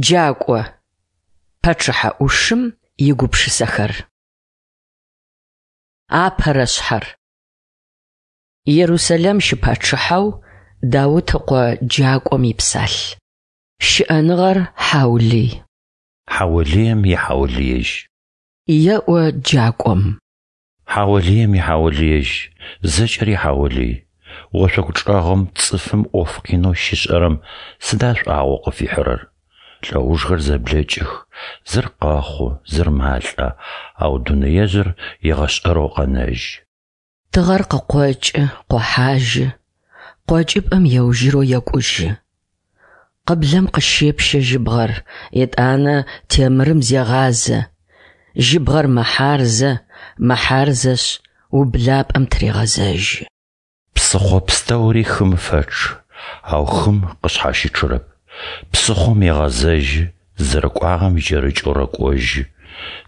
Джакӏо, пачъыхьэ ӏушым игупшысэхэр. Апэрэ шъхьэр. Ерусэлэм щыпачъыхьэу Даут ыкъо Джакӏом ипсалъ. Щыӏэныгъэр хьаулый. Хьаулыем ихьаулыежь. Еӏо Джакӏом. Хьаулыем ихьаулыежь, зэкӏэри хьаулый. Ошъогу чӏэгъым цӏыфым ӏоф къинэу щишӏэрэм сыда шӏуагъэу къыфихьырэр? Лӏэужхэр зэблэкӏых, зыр къэхъу, зыр малӏэ, ау дунэежъыр егъэшӏэрэу къэнэжьы. Тыгъэр къыкъокӏы, къохьажьы, къокӏыпӏэм еужьырэу екӏужьы. Къыблэм къыщепщэ жьыбгъэр, етӏанэ темырым зегъазэ. Жьыбгъэр мэхьарзэ, мэхьарзэшъ, ублапӏэм тырегъэзэжьы. Псыхъо пстэури хым фэчъы, ау хым къышъхьащычъырэп. Псыхъом егъэзэжьы, зэрэкӏуагъэм икӏэрыкӏэу рэкӏожьы.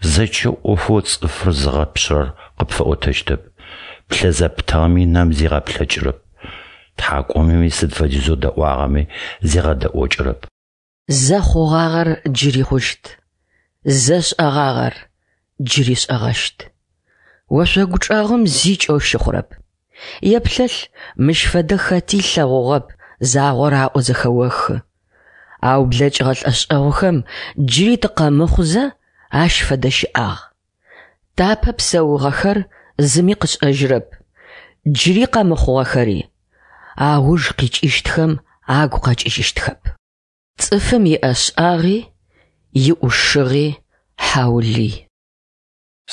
Зэчэ ӏофэу цӏыфыр зыгъэпшъырэр къыпфэӏотэщтэп. Плъэ зэптыгъэми нэм зигъэплъэкӏырэп. Тхьакӏумэми сыд фэдизэу дэӏуагъэми зигъэдэӏокӏырэп. Зэ хъугъагъэр джыри хъущт, зэ шӏэгъагъэр джыри шӏэгъэщт. Ошъогу чӏэгъым зи кӏэу щыхъурэп. Еплъэлъ, мыщ фэдэ хэти ылъэгъугъэп, загъорэ аӏоу зэхэохы. Ау блэкӏыгъэ лӏэшӏэгъухэм джыри тыкъэмыхъузэ ащ фэдэ щыӏагъ. Тапэ псэугъэхэр зыми къышӏэжьырэп, джыри къэмыхъугъэхэри ауж къикӏыщтхэм агу къэкӏыжьыщтхэп. Цӏыфым иӏэшӏагъи иӏушыгъи хьаулый.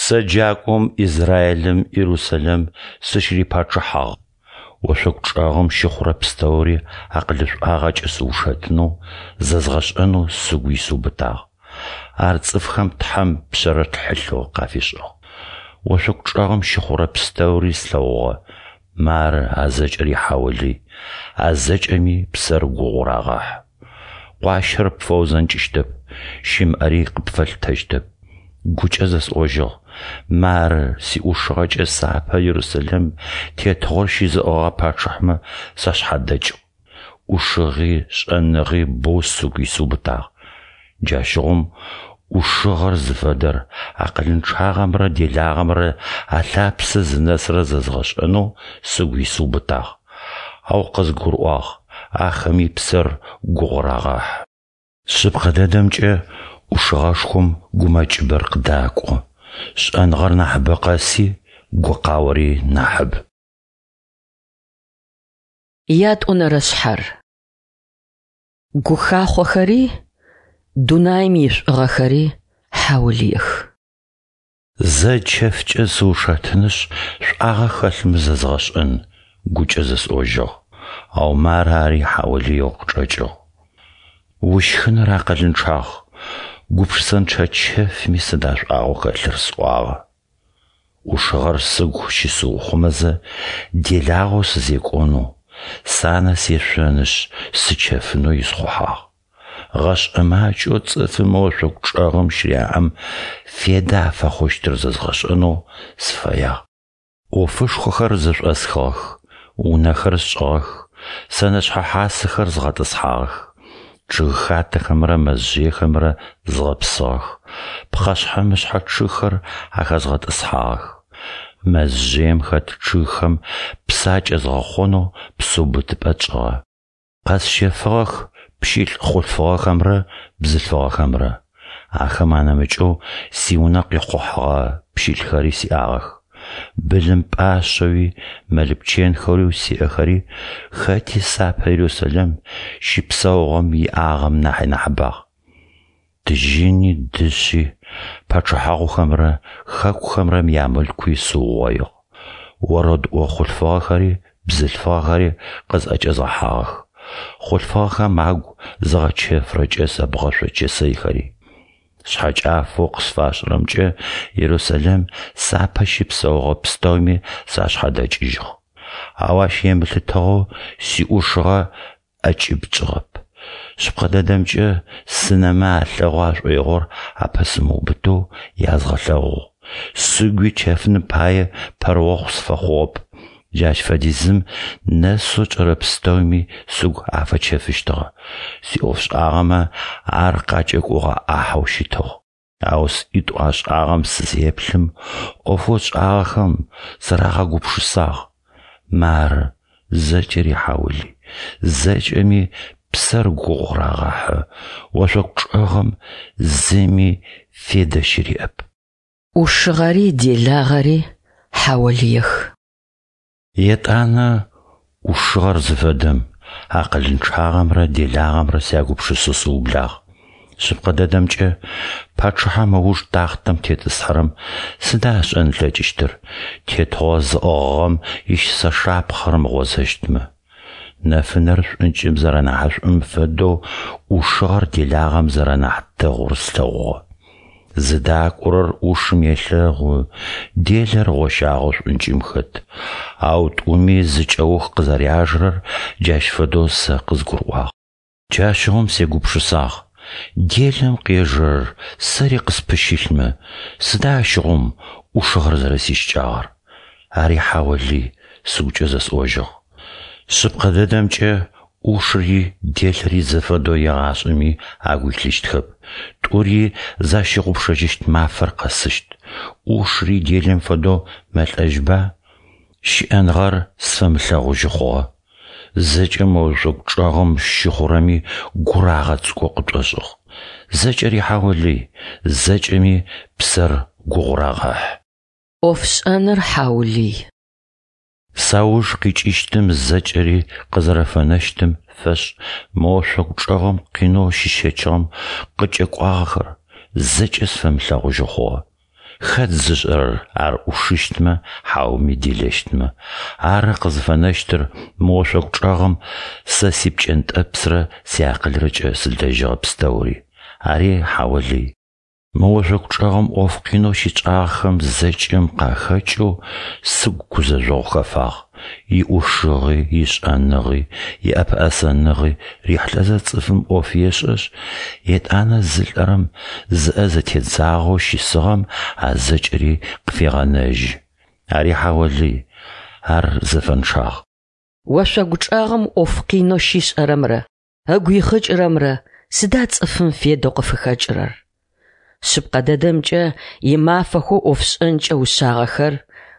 Сэ джакӏом Израилым Иерусалим сыщырипачъыхьагъ. Ошъогу чӏэгъым щыхъурэ пстэури акъылышӏуагъэкӏэ сыушэтынэу, зэзгъэшӏэнэу сыгу исыубытагъ. Ар цӏыфхэм Тхьэм пшъэрылъ хьылъэу къафишӏыгъ. Ошъогу чӏэгъым щыхъурэ пстэури слъэгъугъэ. Мары а зэкӏэри хьаулый, а зэкӏэми псэр гугъу рагъэхьы. Къуащэр пфэузэнкӏыщтэп, щымыӏэри къыпфэлъытэщтэп. Гукӏэ зэсӏожьыгъ: Мары, сиӏушыгъэкӏэ сапэ Ерусэлэм тетыгъор щызыӏыгъыгъэ пачъыхьмэ сашъхьадэкӏыгъ. ӏушыгъи шӏэныгъи боу сыгу исыубытагъ. Джащыгъум ӏушыгъэр зыфэдэр, акъылынчъагъэмрэ делагъэмрэ алъапсэ зынэсырэр зэзгъэшӏэнэу сыгу исыубытагъ. Ау къызгурыӏуагъ, ахэми псэр гугъу рагъэхьы. Шъыпкъэ дэдэмкӏэ, ӏушыгъэшхом гумэкӏыбэр къыдакӏо, шӏэныгъэр нахьыбэ къэси гукъаори нахьыб. Ятӏонэрэ шъхьэр. Гухахъохэри, дунаим ишӏугъэхэри хьаулыех. Зэ чэфкӏэ сыушэтынышъ, шӏуагъэ хэлъмэ зэзгъэшӏэн, гукӏэ зэсӏожьыгъ. Ау мары ари хьаулыеу къычӏэкӏыгъ. Ущхыныр акъылынчъагъ, гупшысэнчъэ чэфми сыда шӏуагъэу хэлъыр сӏуагъэ. ӏушыгъэр сыгу щысыухъумэзэ, делагъэу сызекӏонэу, санэ сешъонышъ, сычэфынэу исхъухьагъ. Гъэшӏэ макӏэу цӏыфым ошъогу чӏэгъым щыряӏэм федэ афэхъущтыр зэзгъэшӏэнэу сыфэягъ. Ӏофышхохэр зэшӏосхыгъэх, унэхэр сшӏыгъэх, сэнэшъхьэ хьасэхэр згъэтӏысхьагъэх, чъыгхатэхэмрэ мэзжъыехэмрэ згъэпсыгъэх, пхъэшъхьэ-мышъхьэ чъыгхэр ахэзгъэтӏысхьагъэх. Мэзжъыем хэт чъыгхэм псы акӏэзгъэхъонэу псыубытыпӏэ тшӏыгъэ. Къэсщэфыгъэх пщылӏ хъулъфыгъэхэмрэ бзылъфыгъэхэмрэ. Ахэм анэмыкӏэу сиунэ къихъухьэгъэ пщылӏхэри сиӏагъэх. Былым пӏашъэуи, мэл-пчэнхэуи сиӏэхэри хэти сапэ Ерусэлэм щыпсэугъэм иӏагъэм нахьи нахьыбагъ. Тыжьыни, дышъи, пачъыхьагъухэмрэ хэкухэмрэ ямылъкуи сыугъоигъ. Орэдыӏо хъулъфыгъэхэри бзылъфыгъэхэри къызӏэкӏэзгъэхьагъэх. Хъулъфыгъэхэм агу зыгъэчэфырэ кӏэсэ бгъэшъо чэсэйхэри. Шъхьэкӏафэу къысфашӏырэмкӏэ Ерусэлэм сапэ щыпсэугъэ пстэуми сашъхьадэкӏыжьыгъ. Ау ащ емылъытыгъэу сиӏушыгъэ ӏэкӏыб тшӏыгъэп. Шъыпкъэ дэдэмкӏэ, сынэмэ алъэгъу ашӏоигъор апэсымыубытэу язгъэлъэгъугъ. Сыгуи чэфыным пае пэрыохъу сыфэхъугъэп. Джащ фэдизым нэсэу тшӏэрэ пстэуми сыгу афэчэфыщтыгъэ, сиӏофшӏагъэмэ ар къакӏэкӏогъэ ӏахьэу щытыгъ. Ау сӏитӏу ашӏагъэм сызеплъым, ӏофэу сшӏагъэхэм сарагъэгупшысагъ. Мары, зэкӏэри хьаулый, зэкӏэми псэр гугъу рагъэхьы, ошъогу чӏэгъым зыми федэ щыриӏэп. ӏушыгъэри делагъэри хьаолыех. Етӏанэ ӏушыгъэр зыфэдэм, акъылынчъагъэмрэ делагъэмрэ сягупшысэу сыублагъ. Шъыпкъэ дэдэмкӏэ, пачъыхьэм ыуж тахътэм тетӏысхьэрэм сыда ышӏэн ылъэкӏыщтыр, тетыгъо зыӏыгъыгъэм ищысэ шапхъэ рымыгъозэщтмэ? Нэфынэр шӏункӏым зэрэнахьышӏум фэдэу ӏушыгъэр делагъэм зэрэнахь дэгъур слъэгъугъэ. Зыдакӏорэр ӏушым елъэгъу, делэр гъощагъэу шӏункӏым хэт. Ау тӏуми зы кӏэух къызэряжэрэр джащ фэдэу сэ къызгурыӏуагъ. Джащыгъум сегупшысагъ, делэм къежэрэр сэри къыспыщылъмэ, сыда ащыгъум ӏушыгъэр зэрэсищыкӏагъэр? Ари хьаолый, сыгукӏэ зэсӏожьыгъ. Шъыпкъэ дэдэмкӏэ, ӏушыри делэри зэфэдэу егъашӏэми агу илъыщтхэп, тӏури защыгъупшэжьыщт мафэр къэсыщт. Ӏушыри делэм фэдэу мэлӏэжьба? Щыӏэныгъэр сфэмылъэгъужьы хъугъэ. Зэкӏэ мо ошъогу чӏэгъым щыхъурэми гур агъэцӏыкӏоу къытшӏошӏыгъ. Зэкӏэри хьаолый, зэкӏэми псэр гугъу рагъэхьы. Ӏофшӏэныр хьаулый. Сауж къикӏыщтым зэкӏэри къызэрэфэнэщтым фэшӏ мы ошъогу чӏэгъым къинэу щысщэчыгъэм къыкӏэкӏуагъэхэр зэкӏэ сфэмылъэгъужьы хъугъэ. Хэт зышӏэрэр ар ӏушыщтмэ, хьауми делэщтмэ? Ары къызыфэнэщтыр мы ошъогу чӏэгъым сэ сипкӏэнтӏэпсрэ сиакъылрэкӏэ сылэжьыгъэ пстэури. Ари хьаолый. Мы ошъогу чӏэгъым ӏоф къинэу щытшӏагъэхэм зэкӏэм къахэкӏэу сыгу гузэжъогъу хэфагъ. Иӏушыгъи, ишӏэныгъи, иӏэпэӏэсэныгъи рихьылӏэзэ цӏыфым ӏоф ешӏэшъ, етӏанэ зылӏэрэм, зыӏэ зэтедзагъэу щысыгъэм а зэкӏэри къыфегъэнэжьы. Ари хьаолый, ар зэфэнчъагъ. Ошъогу чӏэгъым ӏоф къинэу щишӏэрэмрэ ыгу ихъыкӏырэмрэ сыда цӏыфым федэу къыфыхэкӏырэр? Шъыпкъэ дэдэмкӏэ, имафэхэу ӏофшӏэнкӏэ ушъагъэхэр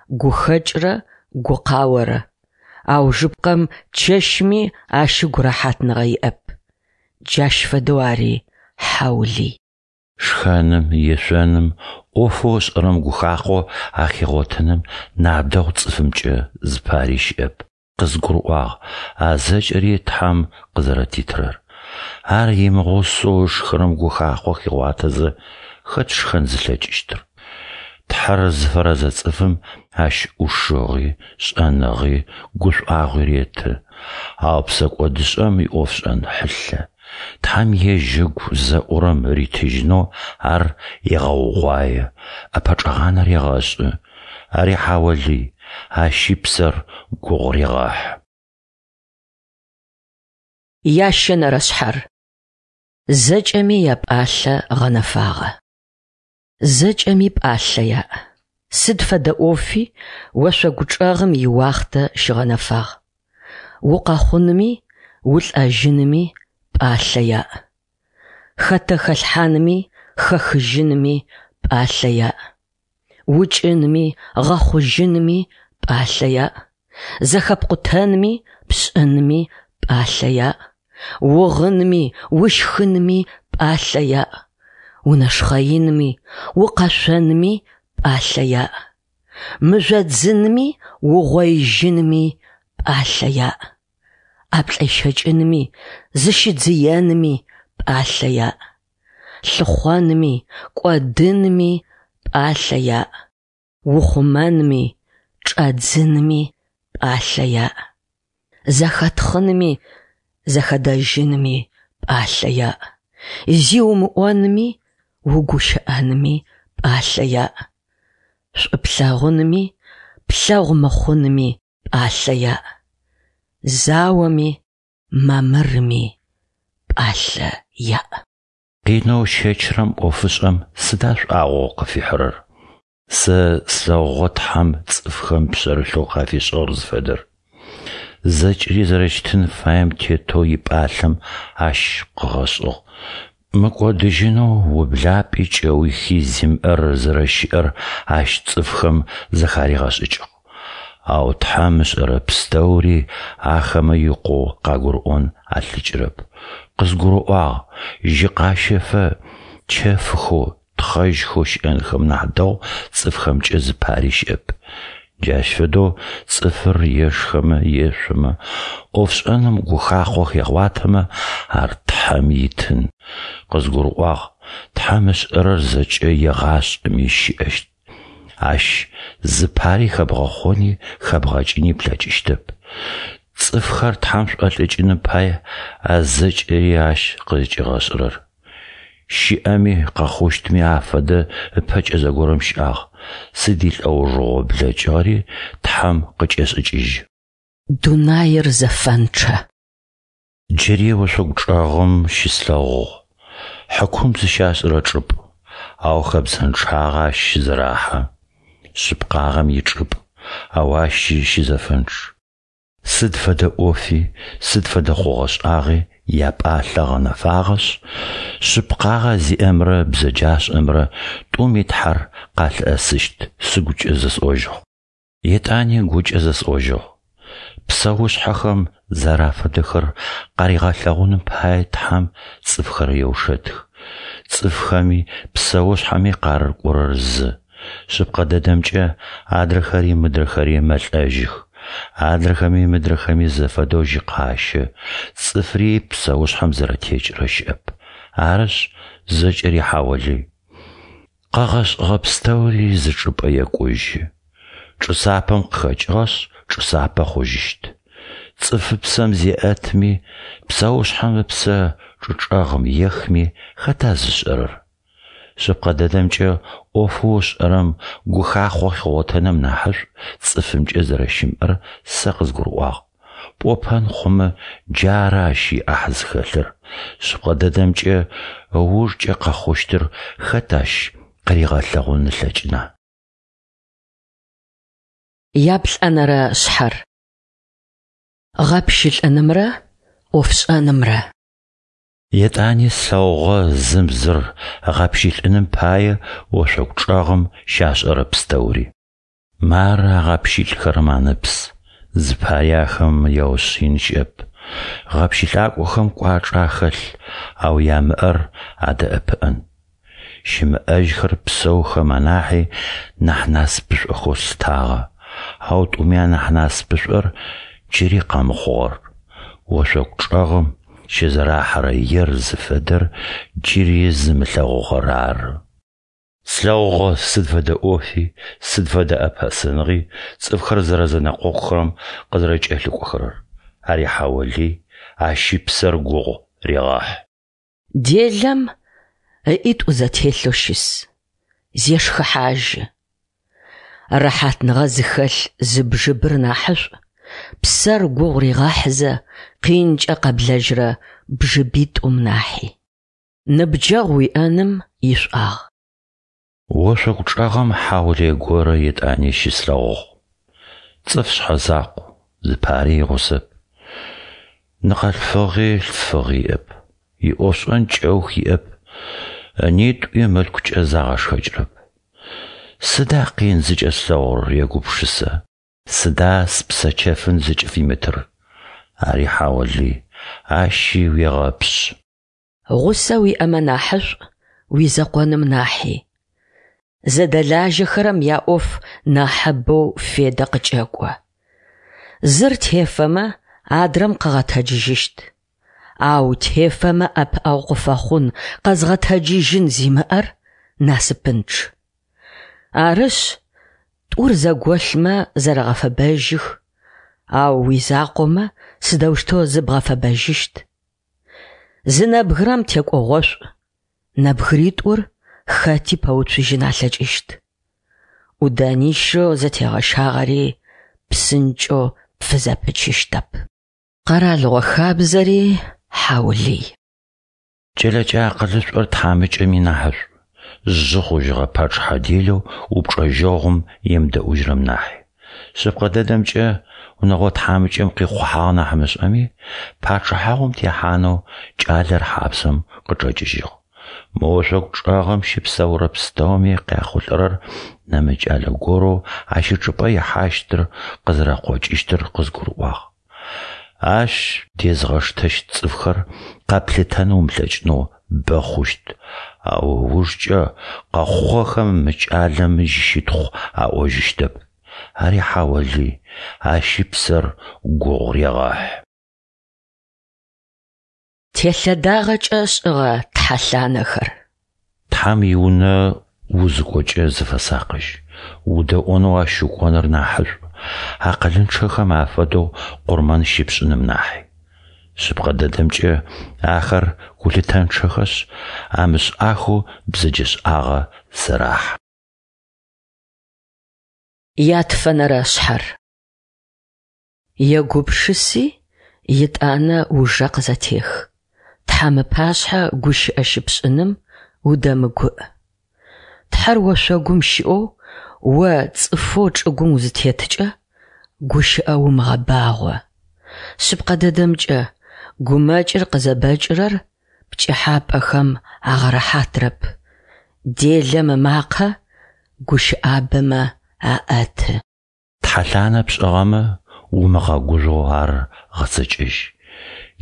гухэкӏрэ гукъаорэ. Аужыпкъэм чэщми ащ ыгу рэхьатныгъэ иӏэп. Джащ фэдэу ари хьаулый. Шхэным, ешъоным, ӏофэу ышӏэрэм гухахъо ахигъотэным нахь дэгъу цӏыфымкӏэ зыпари щыӏэп. Къызгурыӏуагъ а зэкӏэри Тхьэм къызэрэтитырэр. Ар имыгъусэу ышхырэм гухахъо хигъуатэзэ, хэт шхэн зылъэкӏыщтыр? Тхьэр зыфэрэзэ цӏыфым ащ ӏушыгъи, шӏэныгъи, гушӏуагъуи реты. Ау псэкӏодышӏэм иӏофшӏэн хьылъэ. Тхьэм ежь ыгу зэӏурэм ритыжьынэу ар егъэугъуае, ӏэпэчӏэгъанэ регъэшӏы. Ари хьаолый, ащи псэр гугъу регъэхьы. Ящэнэрэ шъхьэр. Зэкӏэми япӏалъэ гъэнэфагъэ. Зэкӏэми пӏалъэ яӏ. Сыд фэдэ ӏофи ошъогу чӏэгъым иуахътэ щыгъэнэфагъ. Укъэхъунми, улӏэжьынми пӏалъэ яӏ. Хэтэ хэлъхьанми, хэхыжьынми пӏалъэ яӏ. Укӏынми, гъэхъужьынми пӏалъэ яӏ. Зэхэпкъутэнми, пшӏынми пӏалъэ яӏ. Угъынми, ущхынми пӏалъэ яӏ. Унэшхъэинми, укъэшъонми пӏалъэ яӏ. Мыжъодзынми, угъоижьынми пӏалъэ яӏ. ӏаплӏэщэкӏынми, зыщыдзыенми пӏалъэ яӏ. Лъыхъонми, кӏодынми пӏалъэ яӏ. Ухъумэнми, чӏэдзынми пӏалъэ яӏ. Зэхэтхъынми, зэхэдэжьынми пӏалъэ яӏ. Зи умыӏонми, угущыӏэнми пӏалъэ яӏ. Шӏу плъэгъунми, плъэгъу мыхъунми пӏалъэ яӏ. Заоми, мамырми пӏалъэ яӏ. Къинэу ыщэчырэм ӏофышӏэм сыда шӏуагъэу къыфихьырэр? Сэ слъэгъугъэ Тхьэм цӏыфхэм пшъэрылъэу къафишӏыгъэр зыфэдэр. Зэкӏэри зэрэщытын фаем тетэу ипӏалъэм Ащ къыгъэшӏыгъ. Мыкӏодыжьынэу ублапӏи кӏэухи зимыӏэр зэрэщыӏэр Ащ цӏыфхэм зэхаригъэшӏыкӏыгъ. Ау Тхьэм ышӏэрэ пстэури ахэмэ икъоу къагурыӏон алъэкӏырэп. Къызгурыӏуагъ, жьы къащэфэ чэфхэу, тхъэжьхэу щыӏэнхэм нахь дэгъу цӏыфхэмкӏэ зыпари щыӏэп. Джащ фэдэу цӏыфыр ешхэмэ, ешъомэ, ӏофшӏэным гухахъо хегъуатэмэ, ар Тхьэм итын. Къызгурыӏуагъ, Тхьэм ышӏэрэр зэкӏэ егъашӏэми щыӏэщт. Ащ зыпари хэбгъэхъони хэбгъэкӏыни плъэкӏыщтэп. Цӏыфхэр Тхьэм шӏолӏыкӏыным пае а зэкӏэри Ащ къызкӏигъэшӏырэр. Щыӏэми къэхъущтми афэдэ ыпэкӏэ зэгорэм щыӏагъ, сыд илӏэужыгъо блэкӏыгъэри Тхьэм къыкӏешӏыкӏыжьы. Дунаир зэфэнчъэ. Джыри ошъогу чӏэгъым щыслъэгъугъ, хьыкум зыщашӏырэ чӏыпӏ, ау хэбзэнчъагъэ ащ щызэрахьэ. Шъыпкъагъэм ичӏыпӏ, ау ащи щызэфэнчъ. Сыд фэдэ ӏофи, сыд фэдэ хъугъэ-шӏагъи япӏалъэ гъэнэфагъэшъ, шъыпкъагъэ зиӏэмрэ бзэджашӏэмрэ тӏуми Тхьэр къалъыӏэсыщт сыгукӏэ зэсӏожьыгъ. Етӏани гукӏэ зэсӏожьыгъ: Псэушъхьэхэм зэрафэдэхэр къаригъэлъэгъуным пае Тхьэм цӏыфхэр еушэтых. Цӏыфхэми псэушъхьэми къарыкӏорэр зы. Шъыпкъэ дэдэмкӏэ, адрэхэри мыдрэхэри мэлӏэжьых. Адрэхэми мыдрэхэми зэфэдэу жьы къащэ, цӏыфри псэушъхьэм зэрэтекӏырэ щыӏэп. Арышъ, зэкӏэри хьаолый. Къэгъэшӏыгъэ пстэури зы чӏыпӏэ екӏужьы. Чӏы сапэм къыхэкӏыгъэшъ, чӏы сапэ хъужьыщт. Цӏыфыпсэм зеӏэтми, псэушъхьэм ыпсэ чӏы чӏэгъым ехми хэта зышӏэрэр? Шъыпкъэ дэдэмкӏэ, ӏофэу ышӏэрэм гухахъо хигъотэным нахьышӏу цӏыфымкӏэ зэрэщымыӏэр сэ къызгурыӏуагъ. Пӏопэн хъумэ, джары ащ иӏахь зыхэлъыр. Шъыпкъэ дэдэмкӏэ, ыужкӏэ къэхъущтыр хэт ащ къыригъэлъэгъун ылъэкӏына? Яплӏэнэрэ шъхьэр. Гъэпщылӏынымрэ ӏофшӏэнымрэ. Етӏани слъэгъугъэ зым зыр ыгъэпщылӏыным пае ошъогу чӏэгъым щашӏэрэ пстэури. Мары агъэпщылӏхэрэм анэпс, зыпари ахэм яушъыин щыӏэп. Гъэпщылӏакӏохэм кӏуачӏэ ахэлъ, ау ямыӏэр адэӏэпыӏэн. Щымыӏэжьхэр псэухэм анахьи нахь насыпышӏохэу слъытагъэ, ау тӏуми анахь насыпышӏор джыри къэмыхъугъэр, ошъогу чӏэгъым щызэрахьэрэ ер зыфэдэр джыри зымылъэгъугъэр ары. Слъэгъугъэ сыд фэдэ ӏофи, сыд фэдэ ӏэпэӏэсэныгъи цӏыфхэр зэрэзэнэкъокъухэрэм къызэрэкӏэлъыкӏохэрэр. Ари хьаолый, ащи псэр гугъу регъэхьы. Делэм ыӏитӏу зэтелъэу щыс, зешхыхьажьы. Рэхьатныгъэ зыхэлъ зы бжыбыр нахьышӏу, псэр гугъу ригъэхьызэ къинкӏэ къэблэжьырэ бжыбитӏум нахьи. Ныбджэгъу уиӏэным ишӏуагъ. Ошъогу чӏэгъым хьаулые горэ етӏани щыслъэгъугъ. Цӏыф шъхьэзакъу, зыпари игъусэп. Ныкъэлъфыгъи лъфыгъи иӏэп. Иӏофшӏэн кӏэух иӏэп. Ынитӏуи мылъкукӏэ загъэшхэкӏырэп. Сыда къин зыкӏэслъэгъурэр, егупшысэ. Сыда спсэ чэфын зыкӏыфимытыр? Ари хьаулый, ащи уегъэпшъы. Гъусэ уиӏэмэ нахьышӏу уизэкъоным нахьи. Зэдэлажьэхэрэм яӏоф нахьыбэу федэ къыкӏэкӏо. Зыр тефэмэ, адрэм къыгъэтэджыжьыщт. Ау тефэмэ ӏэпыӏэгъу къыфэхъун къэзгъэтэджыжьын зимыӏэр насыпынчъ. Арышъ, тӏур зэголъмэ зэрэгъэфэбэжьых, ау уизакъомэ сыдэущтэу зыбгъэфэбэжьыщт? Зы нэбгырэм текӏогъошӏу, нэбгыритӏур хэти пэуцужьын алъэкӏыщт. ӏуданищэу зэтегъэщагъэри псынкӏэу пфызэпычыщтэп. Къэралыгъо хабзэри хьаулый. Кӏэлэкӏэ акъылышӏор тхьамыкӏэми нахьышӏу. жъы хъужьыгъэ пачъыхьэ делэу упчӏэжьэгъум емыдэӏужьырэм нахьи. Шъыпкъэ дэдэмкӏэ, унэгъо тхьамыкӏэм къихъухьагъ нахь мышӏэми, пачъыхьагъум техьанэу кӏалэр хьапсэм къычӏэкӏыжьыгъ. Мы ошъогу чӏэгъым щыпсэурэ пстэуми къяхъулӏэрэр нэмыкӏ кӏалэ горэу ащ ычӏыпӏэ ихьащтыр къызэрэкъокӏыщтыр къызгурыӏуагъ. Ащ дезгъэштэщт цӏыфхэр къэплъытэн умылъэкӏынэу бэ хъущт, ау ыужкӏэ къэхъугъэхэм мы кӏалэм ищытхъу аӏожьыщтэп. Ари хьаолый, ащи псэр гугъу регъэхьы. Телъэдагъэкӏэ шӏыгъэ тхьэлъанэхэр. Тхьэм иунэ узыкӏокӏэ зыфэсакъыжь, удэӏонэу ащ укӏоныр нахьышӏу, акъылынчъэхэм афэдэу къурмэн щыпшӏыным нахьи. Шъыпкъэ дэдэмкӏэ, ахэр гулъытэнчъэхэшъ, амышӏахэу бзэджэшӏагъэ зэрахьэ. Ятфэнэрэ шъхьэр. Егупшыси, етӏанэ ужэ къызэтех. Тхьэм ыпашъхьэ гущыӏэ щыпшӏыным удэмыгуӏ. Тхьэр ошъогум щыӏэу, о цӏыфэу чӏыгум узытеткӏэ, гущыӏэ умыгъэбагъо. Шъыпкъэ дэдэмкӏэ, гумэкӏыр къызэбэкӏырэр пкӏыхьапӏэхэм агъэрэхьатрэп, делэм ымакъэ гущыӏабэмэ аӏэты. Тхьэлъанэ пшӏыгъэмэ, умыгъэгужъоу ар гъэцэкӏэжь.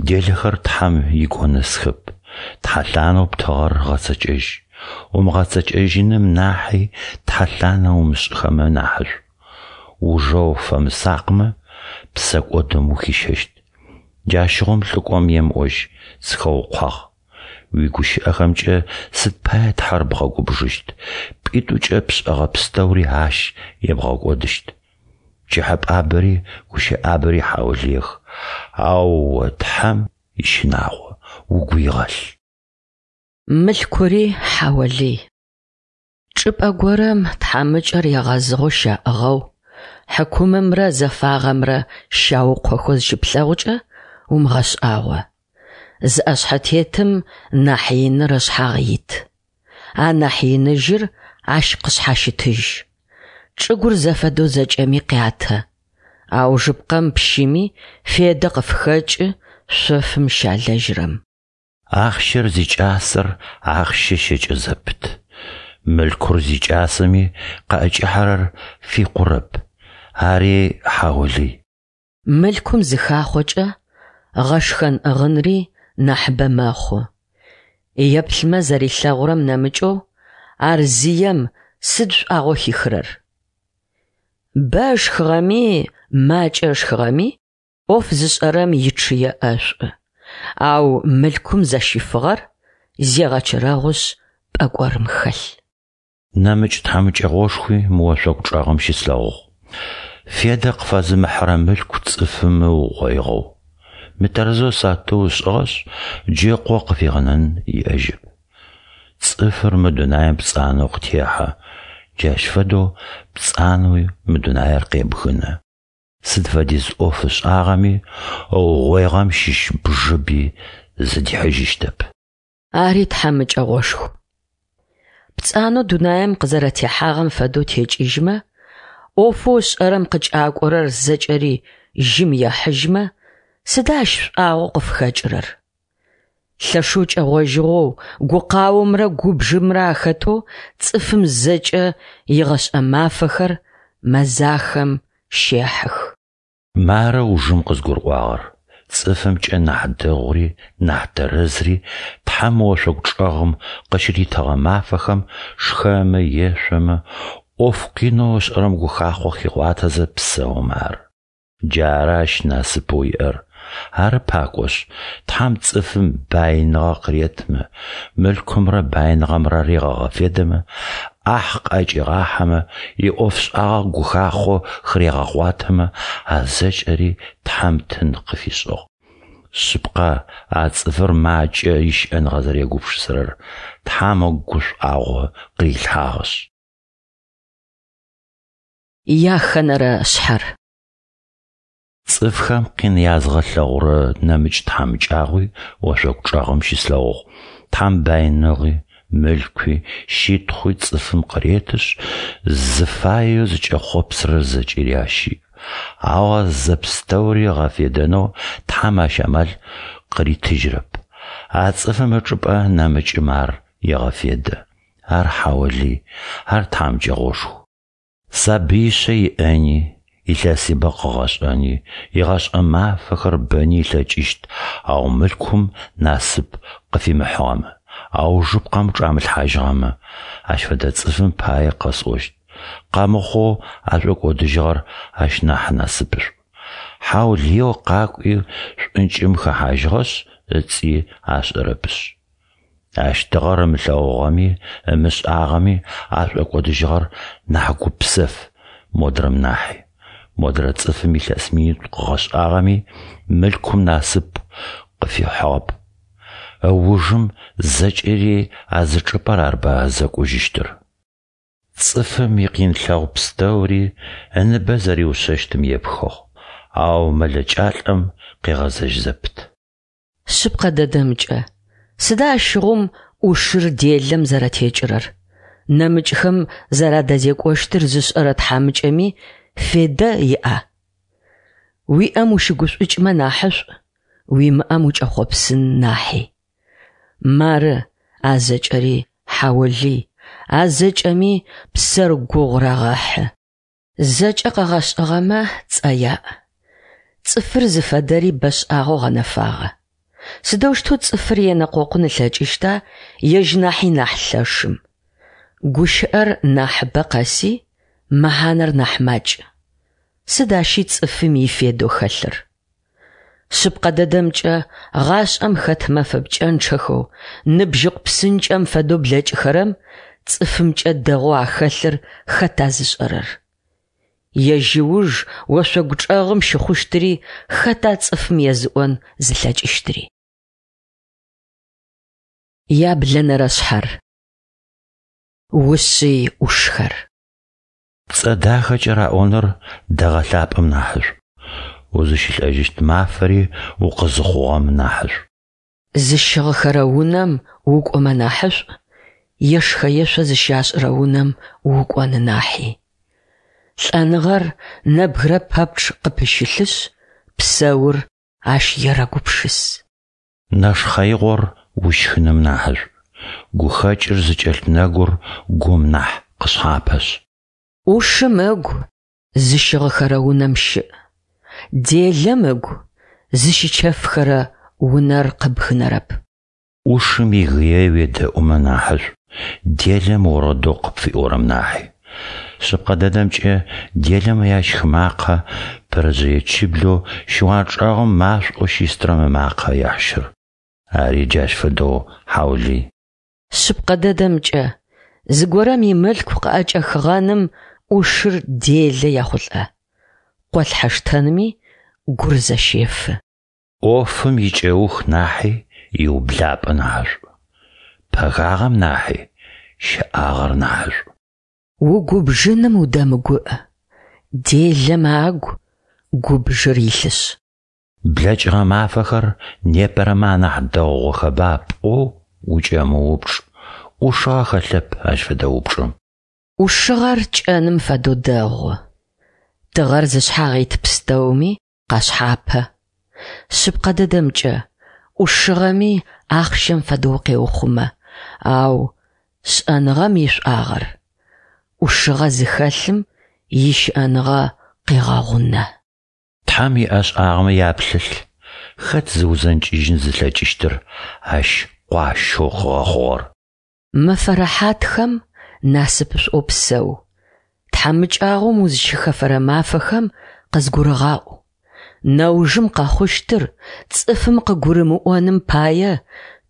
Делэхэр Тхьэм игонэсхэп, тхьэлъанэу птыгъэр гъэцэкӏэжь. Умыгъэцэкӏэжьыным нахьи тхьэлъанэ умышӏыхэмэ нахьышӏу. Ужэ уфэмысакъмэ, псэкӏодым ухищэщт. Джащыгъум лӏыкӏом емыӏожь, сыхэукъуагъ. Уигущыӏэхэмкӏэ сыд пае Тхьэр бгъэгубжыщт, пӏитӏукӏэ пшӏэгъэ пстэури Ащ ебгъэкӏодыщт. Пкӏыхьэпӏабэри гущыӏабэри хьаулыех, ау о Тхьэм ищынагъо угу игъэлъ. Мылъкури хьаулый. Чӏыпӏэ горэм тхьамыкӏэр егъэзыгъэу щаӏыгъэу, хьыкумымрэ зэфагъэмрэ щаукъохэу зыщыплъэгъукӏэ умыгъэшӏагъо. Зы ӏэшъхьэтетым нахь иныр ышъхьагъ ит. Анахь иныжьыр ащ къышъхьащытыжь. Чӏыгур зэфэдэу зэкӏэми къятэ. Аужыпкъэм пщыми федэ къыфхэкӏы шъофым щалэжьырэм. Ахъщэр зикӏасэр ахъщэ щэкӏэ зэпыт. Мылъкур зикӏасэми къыӏэкӏахьэрэр фикъурэп. Ари хьаулый. Мылъкум зыхахъокӏэ, гъэшхэн-ӏыгъынри нахьыбэ мэхъу. Еплъымэ зэрилъэгъурэм нэмыкӏэу, ар зием сыд шӏуагъэу хихырэр? Бэ ышхыгъэми, макӏэ ышхыгъэми, ӏоф зышӏэрэм ичъые ӏэшӏу, ау мылъкум зэщифыгъэр зегъэчэрэгъушъ пӏэкӏорым хэлъ. Нэмыкӏ тхьамыкӏэгъошхуи мы ошъогу чӏэгъым щыслъэгъугъ. Федэ къыфэзымыхьырэ мылъку цӏыфым ыугъоигъэу. Мытэрэзэу сатыу ышӏыгъэшъ, джы ыкъо къыфигъэнэн иӏэжьэп. Цӏыфыр мы дунаим пцӏанэу къытехьэ, джащ фэдэу пцӏанэуи мы дунаир къебгынэ. Сыд фэдиз ӏоф ышӏагъэми, ыугъоигъэм щыщ бжыби зыдихьыжьыщтэп. Ари тхьамыкӏэгъошху. Пцӏанэу дунаим къызэрэтехьагъэм фэдэу текӏыжьмэ, ӏофэу ышӏэрэм къыкӏакӏорэр зэкӏэри жьым ехьыжьмэ, сыда ащ шӏуагъэу къыфхэкӏырэр? Лъэшэу кӏэгъожьыгъэу, гукъаомрэ губжымрэ ахэтэу цӏыфым зэкӏэ игъэшӏэ мафэхэр мэзахэм щехьых. Мары ужым къызгурыӏуагъэр, цӏыфымкӏэ нахь дэгъури нахь тэрэзри Тхьэм ошъогу чӏэгъым къыщыритыгъэ мафэхэм шхэмэ, ешъомэ, ӏоф къинэу ышӏэрэм гухахъо хигъуатэзэ псэумэ ары. Джары ащ насыпэу иӏэр. Ары пакӏошъ, Тхьэм цӏыфым баиныгъэ къыретмэ, мылъкумрэ баиныгъэмрэ регъэгъэфедэмэ, ӏахь къыӏэкӏигъахьэмэ, иӏофшӏагъэ гухахъо хырегъэгъуатэмэ, а зэкӏэри Тхьэм тын къыфишӏыгъ. Шъыпкъэ, а цӏыфыр макӏэ ищыӏэныгъэ зэрегупшысэрэр, Тхьэм ыгу гушӏуагъо къырилъхьагъэшъ. Яхэнэрэ шъхьэр. Цӏыфхэм къин язгъэлъэгъурэ нэмыкӏ тхьамыкӏагъуи ошъогу чӏэгъым щыслъэгъугъ. Тхьэм баиныгъи, Мылъкуи, щытхъуи цӏыфым къыретышъ, зыфаеу зыкӏэхъопсырэр зэкӏэри ащ иӏ. Ау а зэпстэури ыгъэфедэнэу Тхьэм ащ амал къыритыжьырэп. А цӏыфым ычӏыпӏэ нэмыкӏым ар егъэфедэ. Ар хьаолый, ар тхьамыкӏэгъошху. Сабыишъэ иӏэни, илъэсыбэ къыгъэшӏэни, игъэшӏэ мафэхэр бэни ылъэкӏыщт, ау мылъкум насып къыфимыхьыгъэмэ, аужыпкъэм чӏамылъхьажьыгъэмэ, ащ фэдэ цӏыфым пае къэсӏощт, къэмыхъоу ашӏокӏодыжьыгъэр ащ нахь насыпышӏу. Хьаулыеу къакӏуи шӏункӏым хэхьажьыгъэшъ, ыцӏи ашӏэрэпышъ. Ащ тыгъэр ымылъэгъугъэми, ымышӏагъэми ашӏокӏодыжьыгъэр нахь гупсэф модрэм нахьи. Модрэ цӏыфым илъэс минитӏу къыгъэшӏагъэми, мылъкум насып къыфихьыгъэп. Ыужым зэкӏэри а зы чӏыпӏэр арба зэкӏужьыщтыр. Цӏыфым икъинлъэгъу пстэури ыныбэ зэриушъэщтым епхыгъ, ау мэлэкӏалӏэм къегъэзэжь зэпыт. Шъыпкъэ дэдэмкӏэ, сыда ащыгъум ӏушыр делэм зэрэтекӏырэр? Нэмыкӏхэм зэрадэзекӏощтыр зышӏэрэ тхьамыкӏэми федэ иӏа? Уиӏэм ущыгушӏукӏмэ нахьышӏу, уимыӏэм укӏэхъопсын нахьи. Мары, а зэкӏэри хьаолый, а зэкӏэми псэр гугъу рагъэхьы. Зэкӏэ къэгъэшӏыгъэмэ цӏэ яӏ. Цӏыфыр зыфэдэри бэшӏагъэу гъэнэфагъэ. Сыдэущтэу цӏыфыр енэкъокъун ылъэкӏыщта ежь нахьи нахь лъэшым? Гущыӏэр нахьыбэ къэси, мэхьанэр нахь макӏ. Сыд ащи цӏыфым ифедэу хэлъыр? Шъыпкъэ дэдэмкӏэ, гъашӏэм хэт мэфэ пкӏэнчъэхэу, ныбжьыкъу псынкӏэм фэдэу блэкӏыхэрэм цӏыфымкӏэ дэгъоу ахэлъыр хэта зышӏэрэр? Ежь ыуж ошъогу чӏэгъым щыхъущтыри хэта цӏыфым езыӏон зылъэкӏыщтыри? Яблэнэрэ шъхьэр. Ушъый ӏушхэр. Пцӏэ дахэкӏэ раӏоныр дэгъэ лъапӏэм нахьышӏу, узыщылӏэжьыщт мафэри укъызыхъугъэм нахьышӏу. Зыщыгъыхэрэ унэм укӏомэ нахьышӏу, ешхэ-ешъо зыщашӏырэ унэм укӏон нахьи. Лӏэныгъэр нэбгырэ пэпчъ къыпыщылъышъ, псэур ащ ерэгупшыс. Нэшхъэигъор ущхыным нахьышӏу, гухэкӏыр зыкӏэлъ нэгур гум нахь къышъхьапэшъ. ӏушым ыгу зыщыгъыхэрэ унэм щыӏ, делэм ыгу зыщычэфхэрэ унэр къыбгынэрэп. Ӏушым игые уедэӏумэ нахьышӏу, делэм орэдэу къыпфиӏорэм нахьи. Шъыпкъэ дэдэмкӏэ, делэмэ ящх макъэ пырэжъые чыблэу щыуан чӏэгъым машӏоу щыстырэм ымакъэ ехьщыр. Ари джащ фэдэу хьаулый. Шъыпкъэ дэдэмкӏэ, зыгорэм имылъку къыӏэкӏэхыгъэным ӏушыр делэ ехъулӏэ. Къолъхьэ штэнми гур зэщефы. Ӏофым икӏэух нахьи иублапӏэ нахьышӏу. Пэгагъэм нахьи щэӏагъэр нахьышӏу. Угубжыным удэмыгуӏ, делэмэ агу губжыр илъышъ. Блэкӏыгъэ мафэхэр непэрэмэ анахь дэгъугъэхэба пӏоу укӏэмыупчӏ, ӏушыгъэ хэлъэп ащ фэдэ упчӏэм. ӏушыгъэр кӏэным фэдэу дэгъу. Тыгъэр зышъхьагъ ит пстэуми къашъхьапэ. Шъыпкъэ дэдэмкӏэ, ӏушыгъэми ахъщэм фэдэу укъеухъумэ, ау шӏэныгъэм ишӏуагъэр ӏушыгъэ зыхэлъым ищыӏэныгъэ къегъэгъунэ. Тхьэм иӏэшӏагъэмэ яплъылъ, хэт зыузэнкӏыжьын зылъэкӏыщтыр ащ къуащэу къыгъэхъугъэр? Мэфэ рэхьатхэм насыпышӏоу псэу, тхьамыкӏагъом узыщыхэфэрэ мафэхэм къызгурыгъаӏу. Нэужым къэхъущтыр цӏыфым къыгурымыӏоным пае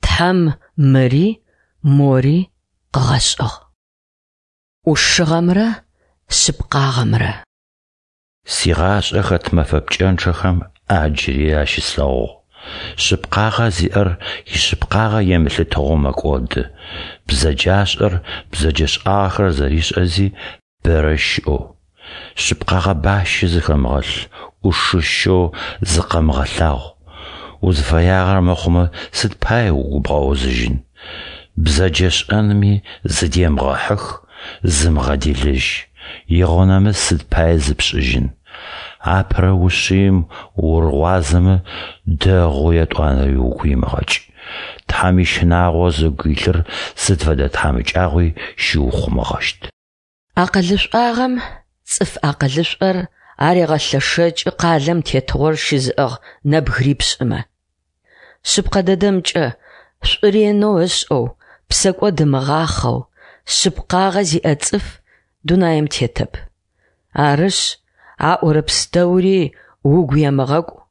Тхьэм мыри мори къыгъэшӏыгъ. ӏушыгъэмрэ шъыпкъагъэмрэ. Сигъашӏэ хэт мэфэ пкӏэнчъэхэм ӏаджри ащыслъэгъугъ. Шъыпкъагъэ зиӏэр ишъыпкъагъэ емылъытыгъэу мэкӏоды, бзэджашӏэр бзэджэшӏагъэхэр зэришӏэзи бэрэ щыӏэу. Шъыпкъагъэ бащэ зыхэмыгъэлъ, ӏушыщэу зыкъэмыгъэлъагъу. Узыфэягъэр мыхъумэ, сыд пае угу бгъэузыжьын? Бзэджэшӏэнми зыдемыгъэхьых, зымыгъэделэжь, игъонэмыс сыд пае зыпшӏыжьын. Апэрэ ушъыим урыгъуазэмэ, дэгъу етӏуанэри угу имыгъэкӏ. Тхьэм ищынагъо зыгу илъыр сыд фэдэ тхьамыкӏагъуи щыухъумэгъэщт. Акъылышӏуагъэм цӏыф акъылышӏор арегъэлъэшэкӏы къалэм тетыгъор щызыӏыгъ нэбгырипшӏымэ. Шъыпкъэ дэдэмкӏэ, шӏу ренэу ышӏэу, псэкӏод ымыгъахъэу, шъыпкъагъэ зиӏэ цӏыф дунаим тетэп. Арышъ, аӏорэ пстэури угу емыгъэкӏу,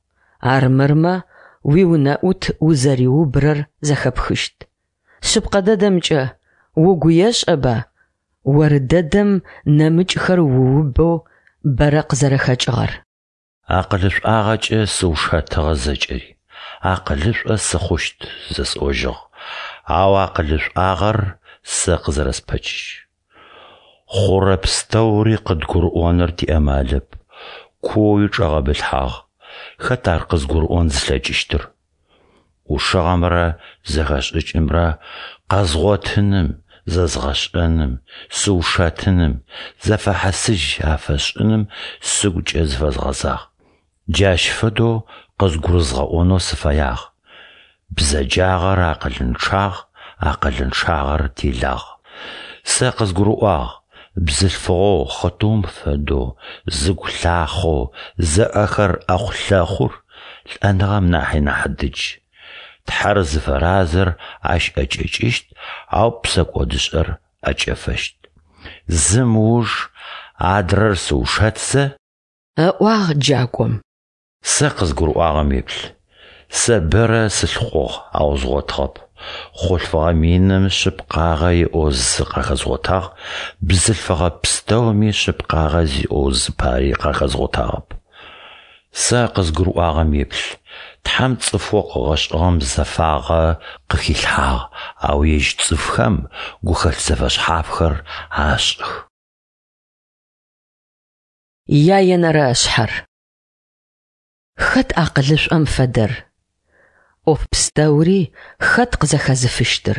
армырмэ уиунэӏут узэриубрэр зэхэпхыщт. Шъыпкъэ дэдэмкӏэ, угу ешӏэба, оры дэдэм нэмыкӏхэр уубэу бэрэ къызэрэхэкӏыгъэр. Акъылышӏуагъэкӏэ сыушэтыгъэ зэкӏэри, акъылышӏо сыхъущт зэсӏожьыгъ, ау акъылышӏуагъэр сэ къызэрэспэчыжь. Хъурэ пстэури къыдгурыӏоныр тиамалэп, куоуи чӏэгъэбылъхьагъ, хэт ар къызгурыӏон зылъэкӏыщтыр? ӏушыгъэмрэ зэхэшӏыкӏымрэ къэзгъотыным, зэзгъэшӏэным, сыушэтыным, зэфэхьысыжь афэсшӏыным сыгукӏэ зыфэзгъэзагъ. Джащ фэдэу къызгурызгъэӏонэу сыфэягъ: бзэджагъэр акъылынчъагъ, акъылынчъагъэр делагъ. Сэ къызгурыӏуагъ: бзылъфыгъэу хъытыум фэдэу, зыгу лъахъэу, зыӏэхэр ӏэхъу-лъэхъур лӏэныгъэм нахьи нахь дыдж. Тхьэр зыфэразэр ащ ӏэкӏэкӏыщт, ау псэкӏодышӏэр ӏэкӏэфэщт. Зым ыуж адрэр сыушэтзэ. Ыӏуагъ джакӏом. Сэ къызгурыӏуагъэм еплъ. Сэ бэрэ сылъыхъугъ, ау згъотыгъэп. Хъулъфыгъэ миным шъыпкъагъэ иӏэу зы къахэзгъотагъ, бзылъфыгъэ пстэуми шъыпкъагъэ зиӏэу зыпари къахэзгъотагъэп. Сэ къызгурыӏуагъэм еплъ. Тхьэм цӏыфэу къыгъэшӏыгъэм зэфагъэ къыхилъхьагъ, ау ежь цӏыфхэм гухэлъ зэфэшъхьафхэр ашӏых. Яенэрэ шъхьэр. Хэт акъылышӏом фэдэр? ӏоф пстэури хэт къызэхэзыфыщтыр?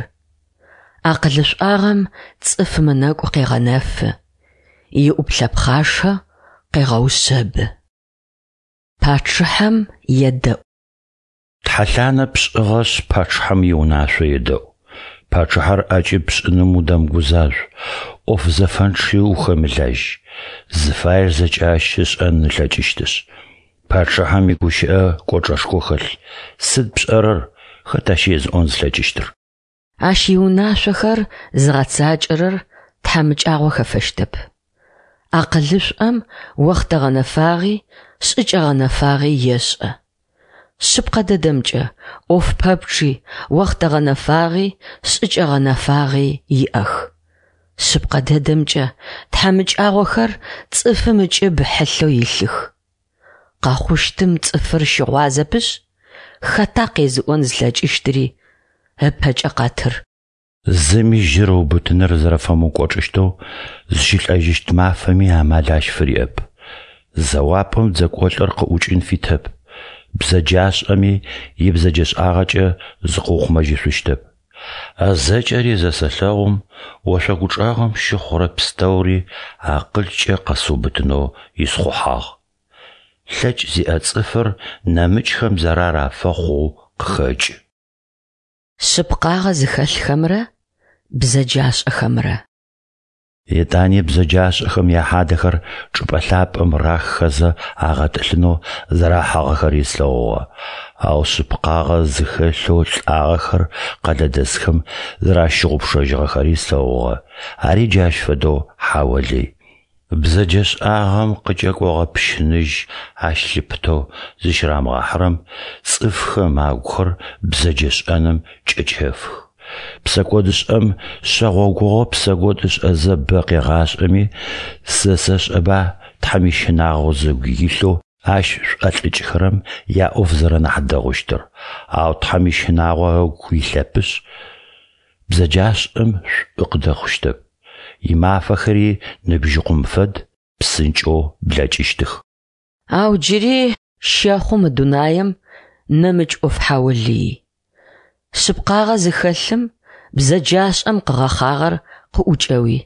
Акъылышӏуагъэм цӏыфым ынэкӏу къегъэнэфы, иӏуплъэ пхъашэ къегъэушъэбы. Пачъыхьэм едэӏу. Тхьэлъанэ пшӏыгъэшъ, пачъыхьэм иунашъо едэӏу. Пачъыхьэр ӏэкӏыб пшӏыным удэмыгузажъу, ӏоф зэфэнчъи ухэмылажь. Зыфаер зэкӏэ ащ ышӏэн ылъэкӏыщтышъ. Пачъыхьэм игущыӏэ кӏочӏэшхо хэлъ. Сыд пшӏэрэр, хэт ащ езыӏон зылъэкӏыщтыр? Ащ иунашъохэр зыгъэцакӏэрэр тхьамыкӏагъо хэфэщтэп. Акъылышӏом охътэ гъэнэфагъи, шӏыкӏэ гъэнэфагъи ешӏэ. Шъыпкъэ дэдэмкӏэ, ӏоф пэпчъи, охътэ гъэнэфагъи, шӏыкӏэ гъэнэфагъи иӏэх. Шъыпкъэ дэдэмкӏэ, тхьамыкӏагъохэр цӏыфым ыкӏыб хьылъэу илъых. Къэхъущтым цӏыфыр щыгъуазэпышъ, хэта къезыӏон зылъэкӏыщтыри ыпэкӏэ къэтыр. Зыми жьыр ыубытыныр зэрэфэмыукӏочӏыщтэу, зыщылӏэжьыщт мафэми амал ащ фыриӏэп. Зэуапӏэм дзэкӏолӏыр къыӏукӏын фитэп, бзэджашӏэми ибзэджэшӏагъэкӏэ зыкъыухъумэжьышъущтэп. А зэкӏэри зэсэлъэгъум, ошъогу чӏэгъым щыхъурэ пстэури акъылкӏэ къэсыубытынэу исхъухьагъ. Лъэкӏ зиӏэ цӏыфыр нэмыкӏхэм зэрар афэхъоу къыхэкӏы. Шъыпкъагъэ зыхэлъхэмрэ бзэджашӏэхэмрэ. Етӏани бзэджашӏэхэм яхьадэхэр чӏыпӏэ лъапӏэм раххэзэ агъэтӏылъынэу зэрахьагъэхэри слъэгъугъэ, ау шъыпкъагъэ зыхэлъэу лӏагъэхэр къэлэдэсхэм зэращыгъупшэжьыгъэхэри слъэгъугъэ, ари джащ фэдэу хьаолый. Бзэджэшӏагъэм къыкӏэкӏогъэ пщыныжь ащ лъыпытэу зыщырамыгъэхьырэм цӏыфхэм агухэр бзэджэшӏэным кӏэчэфых. Псэкӏодышӏэм шъэгъогугъо псэкӏод ышӏэзэ бэ къегъашӏэми, сэ сэшӏэба Тхьэм ищынагъо зыгу илъэу ащ шӏолӏыкӏхэрэм яӏоф зэрэнахь дэгъущтыр, ау Тхьэм ищынагъо ыгу илъэпышъ, бзэджашӏэм шӏу къыдэхъущтэп. Имафэхэри ныбжьыкъум фэд, псынкӏэу блэкӏыщтых. Ау джыри щэхъу мы дунаем нэмыкӏ ӏоф хьаулый. Шъыпкъагъэ зыхэлъым бзэджашӏэм къыгъэхъагъэр къыӏукӏэуи,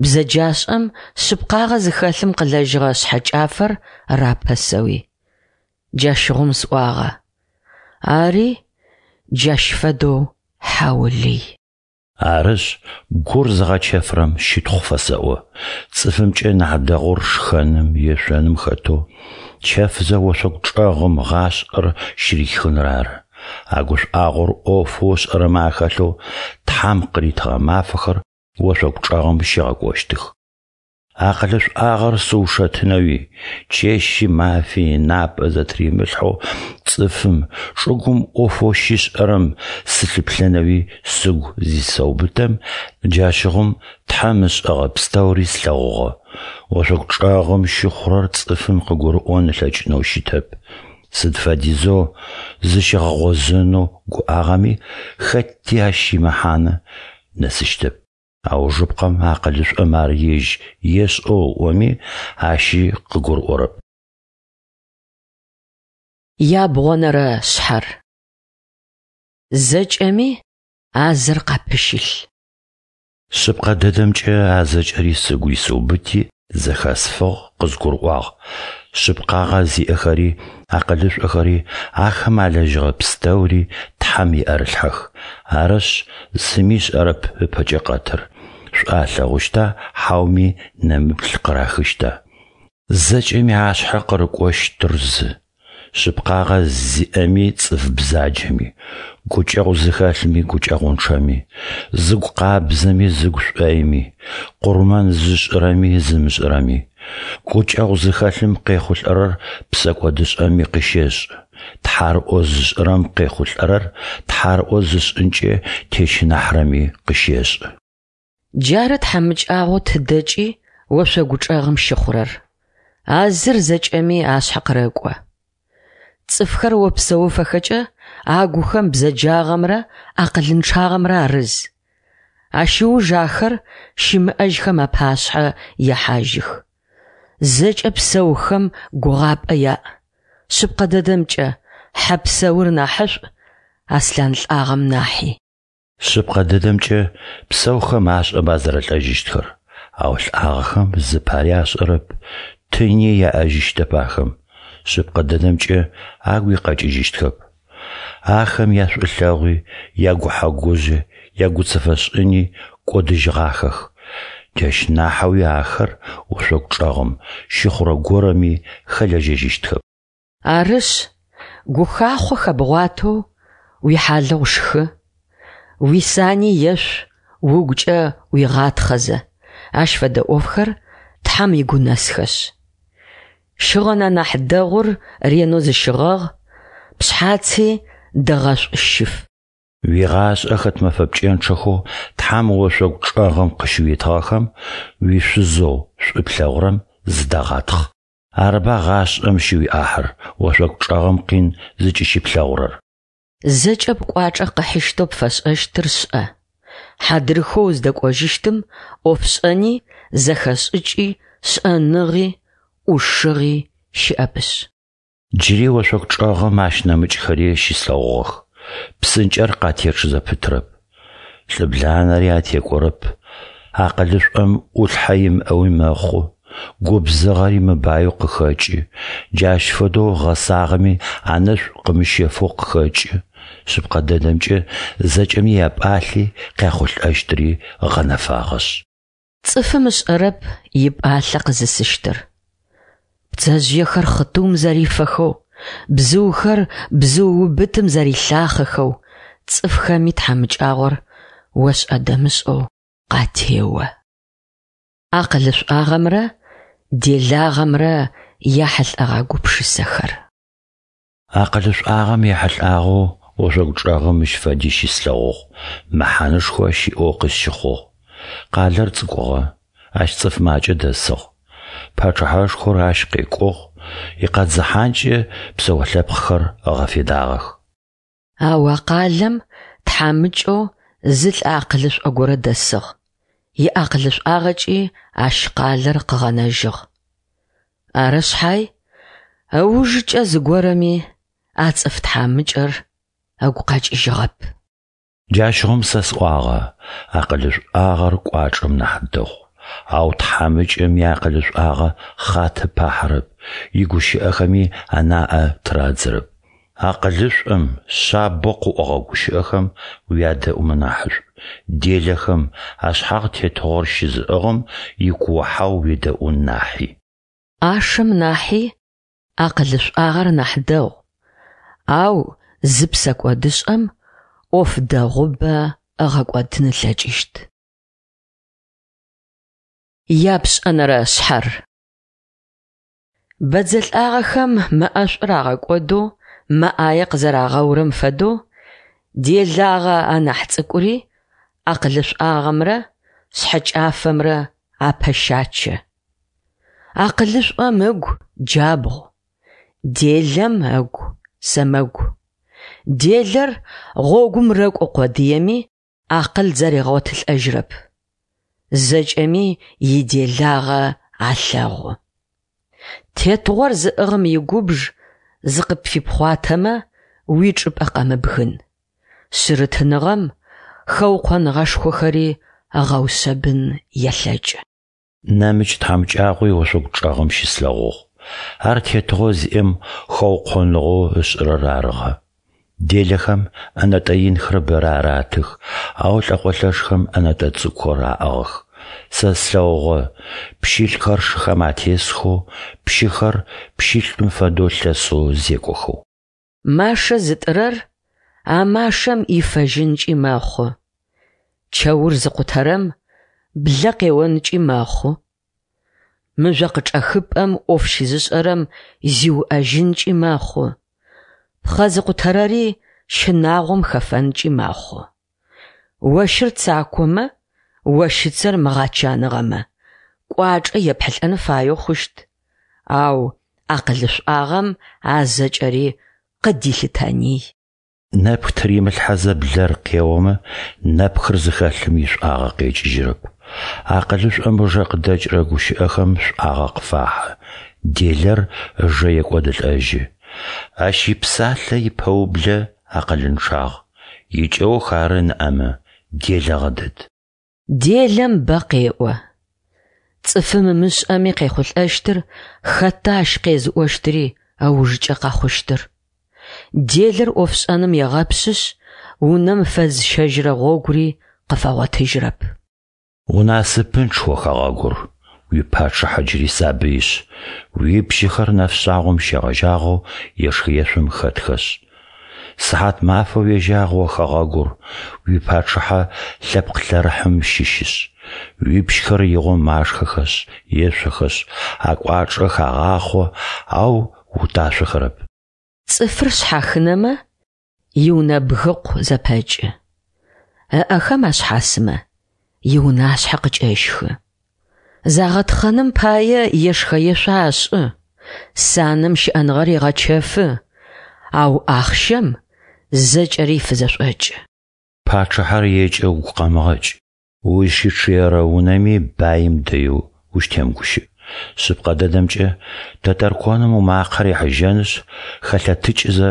бзэджашӏэм шъыпкъагъэ зыхэлъым къылэжьыгъэ шъхьэкӏафэр рапэсэуи. Джащыгъум сӏуагъэ, Ари джащ фэдэу хьаулый. Арышъ, гур зыгъэчэфырэм щытхъу фэсэӏо. Цӏыфымкӏэ нахь дэгъур шхэным, ешъоным хэтэу, чэфзэ ошъогу чӏэгъым гъашӏэр щырихыныр ары. А гушӏуагъор ӏофэу ышӏэрэмэ ахэлъэу Тхьэм къыритыгъэ мафэхэр ошъогу чӏэгъым щигъэкӏощтых. Акъылышӏуагъэр сыушэтынэуи, чэщи мафи ынапӏэ зэтыримылъхьэу цӏыфым, чӏыгум ӏофэу щишӏэрэм сылъыплъэнэуи сыгу зисэубытэм, джащыгъум Тхьэм ышӏэгъэ пстэури слъэгъугъэ. Ошъогу чӏэгъым щыхъурэр цӏыфым къыгурыӏон ылъэкӏынэу щытэп. Сыд фэдизэу зыщигъэгъозэнэу гуӏагъэми, хэти ащ имэхьанэ нэсыщтэп. Аужыпкъэм акъылышӏом ар ежь ешӏэу ыӏоми, ащи къыгурыӏорэп. Ябгъонэрэ шъхьэр. Зэкӏэми а зыр къапыщылъ. Шъыпкъэ дэдэмкӏэ а зэкӏэри сыгу исыубыти, зэхэсфыгъ, къызгурыӏуагъ. Шъыпкъагъэ зиӏэхэри, акъылышӏохэри, ахэм алэжьыгъэ пстэури Тхьэм иӏэрылъхьэх. Арышъ, зыми ышӏэрэп ыпэкӏэ къэтыр, шӏу алъэгъущта хьауми нэмыплъ къырахыщта? Зэкӏэми ашъхьэ къырыкӏощтыр зы. Шъыпкъагъэ зиӏэми цӏыф бзаджэми, гукӏэгъу зыхэлъми гукӏэгъунчъэми, зыгу къабзэми зыгу шӏоими, къурмэн зышӏырэми зымышӏырэми. Гукӏэгъу зыхэлъым къехъулӏэрэр псэкӏодышӏэми къыщешӏы. Тхьарыӏо зышӏырэм къехъулӏэрэр тхьарыӏо зышӏынкӏэ тещынахьрэми къыщешӏы. Джары тхьамыкӏагъоу тыдэкӏи ошъогу чӏэгъым щыхъурэр. А зыр зэкӏэми ашъхьэ къырэкӏо. Цӏыфхэр опсэуфэхэкӏэ агухэм бзэджагъэмрэ акъылынчъагъэмрэ арыз. Ащ ыуж ахэр щымыӏэжьхэм апашъхьэ ехьажьых. Зэкӏэ псэухэм гугъапӏэ яӏ. Шъыпкъэ дэдэмкӏэ, хьэ псэур нахьышӏу аслъан лӏагъэм нахьи. Шъыпкъэ дэдэмкӏэ, псэухэм ашӏэба зэрэлӏэжьыщтхэр, ау лӏагъэхэм зыпари ашӏэрэп, тыни яӏэжьыщтэп ахэм, шъыпкъэ дэдэмкӏэ, агуи къэкӏыжьыщтхэп. Ахэм яшӏулъэгъуи, ягухьэ-гужъи, ягуцэфэшӏыни кӏодыжьыгъахэх. Джащ нахьэуи ахэр ошъогу чӏэгъым щыхъурэ горэми хэлэжьэжьыщтхэп. Арышъ, гухахъо хэбгъуатэу уихьалыгъу шхы, уисани ешъу угукӏэ уигъатхъэзэ, ащ фэдэ ӏофхэр Тхьэм игунэсхэшъ. Щыгъын анахь дэгъур ренэу зыщыгъэгъ, пшъхьаци дэгъэшӏу щыф. Уигъашӏэ хэт мэфэ пкӏэнчъэхэу Тхьэм ошъогу чӏэгъым къыщыуитыгъэхэм уишъузэу шӏу плъэгъурэм зыдэгъатхъ. Арыба гъашӏэм щыуиӏахьыр, ошъогу чӏэгъым къин зыкӏыщыплъэгъурэр. Зэкӏэ пкӏуачӏэ къыхьыщтэу пфэшӏэщтыр шӏэ. Хьадрыхэу уздэкӏожьыщтым ӏофшӏэни, зэхэшӏыкӏи, шӏэныгъи, ӏушыгъи щыӏэпышъ. Джыри ошъогу чӏэгъым ащ нэмыкӏхэри щыслъэгъугъэх. Псынкӏэр къатечъ зэпытрэп. Лӏыбланэри атекӏорэп. Акъылышӏом ӏулъхьэ имыӏэуи мэхъу, губзыгъэри мыбаеу къыхэкӏы, джащ фэдэу гъэсагъэми анэшӏу къымыщэфэу къыхэкӏы. Шъыпкъэ дэдэмкӏэ, зэкӏэми япӏалъи къяхъулӏэщтыри гъэнэфагъэшъ. Цӏыфым ышӏэрэп ипӏалъэ къызысыщтыр. Пцэжъыехэр хъытыум зэрифэхэу, бзыухэр бзыуубытым зэрилъахъэхэу, цӏыфхэми тхьамыкӏагъор ошӏэ-дэмышӏэу къатео. Акъылышӏуагъэмрэ делагъэмрэ яхьылӏэгъэ гупшысэхэр. Акъылышӏуагъэм ехьылӏагъэу ошъогу чӏэгъым мыщ фэди щыслъэгъугъ, мэхьанэшхо щиӏэу къысщыхъугъ. Къалэр цӏыкӏугъэ, ащ цӏыф макӏэ дэсыгъ. Пачъыхьэшхор ащ къекӏугъ, икъэдзыхьанкӏэ псэолъэпкъхэр ыгъэфедагъэх. Ау а къалэм тхьамыкӏэу зы лӏы акъылышӏо горэ дэсыгъ, иакъылышӏуагъэкӏи ащ къалэр къыгъэнэжьыгъ. Ары шъхьай, ыужыкӏэ зыгорэми а цӏыф тхьамыкӏэр ыгу къэкӏыжьыгъэп. Джащыгъум сэ сӏуагъэ: Акъылышӏуагъэр кӏуачӏэм нахь дэгъу. Ау тхьамыкӏэм иакъылышӏуагъэ хъатэ пахьырэп, игущыӏэхэми анаӏэ тырадзэрэп. Акъылышӏом шъабэу къыӏогъэ гущыӏэхэм уядэӏумэ нахьышӏу, делэхэм, ашъхьагъ тетыгъор щызыӏыгъым икуо-хьау уедэӏун нахьи. ӏашэм нахьи акъылышӏуагъэр нахь дэгъу, ау зы псэкӏодышӏэм ӏоф дэгъубэ ыгъэкӏодын ылъэкӏыщт. Япшӏэнэрэ шъхьэр. Бэдзэ лӏагъэхэм мэ ӏэшӏур агъэкӏодэу мэ ӏае къызэрагъэурэм фэдэу, делагъэ анахь цӏыкӏури акъылышӏуагъэмрэ шъхьэкӏафэмрэ апэщачэ. Акъылышӏом ыгу джабгъу, делэм ыгу сэмэгу. Делэр гъогум рэкӏо къодыеми, акъыл зэригъотылӏэжьырэп. Зэкӏэми иделагъэ алъэгъу. Тетыгъор зыӏыгъым игубж зыкъыпфипхъуатэмэ, уичӏыпӏэ къэмыбгын. Шъырытыныгъэм хэукъоныгъэшхохэри ыгъэушъэбын елъэкӏы. Нэмыкӏ тхьамыкӏагъуи ошъогу чӏэгъым щыслъэгъугъ. Ар тетыгъо зиӏэм хэукъоныгъэу ышӏырэр арыгъэ. Делэхэм ӏэнэтӏэ инхэр бэрэ аратых, ау лӏэкъолъэшхэм ӏэнэтӏэ цӏыкӏухэр аӏыгъых. Сэ слъэгъугъэ пщылӏхэр шыхэм атесхэу, пщыхэр пщылӏым фэдэу лъэсэу зекӏохэу. Машэ зытӏырэр а машэм ифэжьынкӏи мэхъу. Чэур зыкъутэрэм блэ къеонкӏи мэхъу. Мыжъо къычӏэхыпӏэм ӏоф щызышӏэрэм зиуӏэжьынкӏи мэхъу. Пхъэ зыкъутэрэри щынагъом хэфэнкӏи мэхъу. Ощыр цакомэ, ощыцэр мыгъэчаныгъэмэ, кӏуачӏэ епхьылӏэн фаеу хъущт, ау акъылышӏуагъэм а зэкӏэри къыдилъытэний. Нэпх тыримылъхьэзэ блэр къеомэ, нэпхыр зыхэлъым ишӏуагъэ къекӏыжьырэп. Акъылышӏом ыжэ къыдэкӏырэ гущыӏэхэм шӏуагъэ къыфахьы, делэр ыжэ екӏодылӏэжьы. Ащ ипсалъэ ипэублэ акъылынчъагъ, икӏэух ары ныӏэмэ, делэгъэ дэд. Делэм бэ къеӏо. Цӏыфым ымышӏэми къехъулӏэщтыр хэта ащ къезыӏощтыри ыужкӏэ къэхъущтыр. Делэр ӏофшӏэным егъэпшъышъ, унэм фэзыщэжьырэ гъогури къыфэгъотыжьырэп. Унасыпынчъ о хэгъэгур, уипачъыхьэ джыри сабыишъ, уипщыхэр нэфшъагъом щегъэжьагъэу ешх-ешъом хэтхэшъ. Сыхьат мафэ уежьагъ о хэгъэгур, уипачъыхьэ лъэпкъ лъэрыхьым щыщышъ, уипщхэр игъом машхэхэшъ, ешъохэшъ, акӏуачӏэ хагъахъо, ау уташъохэрэп. Цӏыфыр шъхьахынэмэ, иунэ бгыкъу зэпэкӏы. Ыӏэхэм ашъхьасымэ, иунашъхьэ къыкӏэщхы. Загъэтхъэным пае ешхэ-ешъо ашӏы, санэм щыӏэныгъэр егъэчэфы, ау ахъщэм зэкӏэри фызэшӏокӏы. Пачъыхьэр екӏэ угу къэмыгъэкӏ, узщычъыерэ унэми баим дэеу ущтемыгущыӏ. Шъыпкъэ дэдэмкӏэ, тэтэрконым умакъэ рихьыжьэнышъ, хэлъэтыкӏызэ